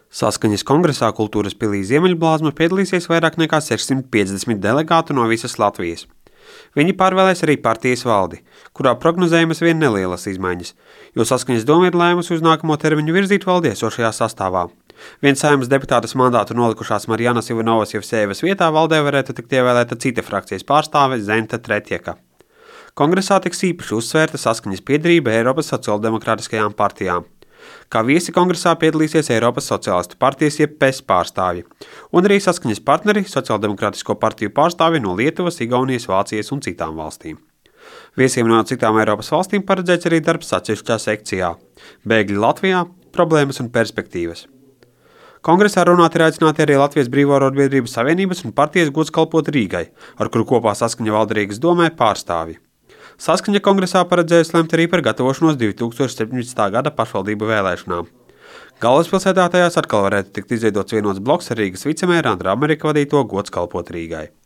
Saskaņas kongresā Kultūras pilī Ziemeļblāzma piedalīsies vairāk nekā 650 delegātu no visas Latvijas. Viņi pārvēlēs arī partijas valdi, kurā prognozējamas vien nelielas izmaiņas, jo Saskaņas doma ir lēmusi uz nākamo termiņu virzīt valdi esošajā sastāvā. Viens Saeimas deputātes mandātu nolikušās Marijanas Ivanovas Jevsejevas vietā valdē varētu tikt ievēlēta cita frakcijas pārstāve Zenta Tretjeka. Kongresā tiks īpaši uzsvērta Saskaņas piederība Eiropas sociāldemokrātiskajām partijām. Kā viesi kongresā piedalīsies Eiropas sociālistu partijas jeb PES pārstāvji, un arī Saskaņas partneri sociāldemokrātisko partiju pārstāvji no Lietuvas, Igaunijas, Vācijas un citām valstīm. Viesiem no citām Eiropas valstīm paredzēts arī darbs atsevišķā sekcijā – bēgļi Latvijā, problēmas un perspektīvas. Kongresā runāt ir aicināti arī Latvijas Brīvo arotbiedrību savienības un partijas gods kalpot Rīgai, ar kuru kopā Saskaņa valda Rīgas domē pārstāvji. Saskaņa kongresā paredzējusi lemt arī par gatavošanos 2017. gada pašvaldību vēlēšanām. Galvaspilsētā tajās atkal varētu tikt izveidots vienots bloks ar Rīgas vicemēra Andra Amerika vadīto gods kalpot Rīgai.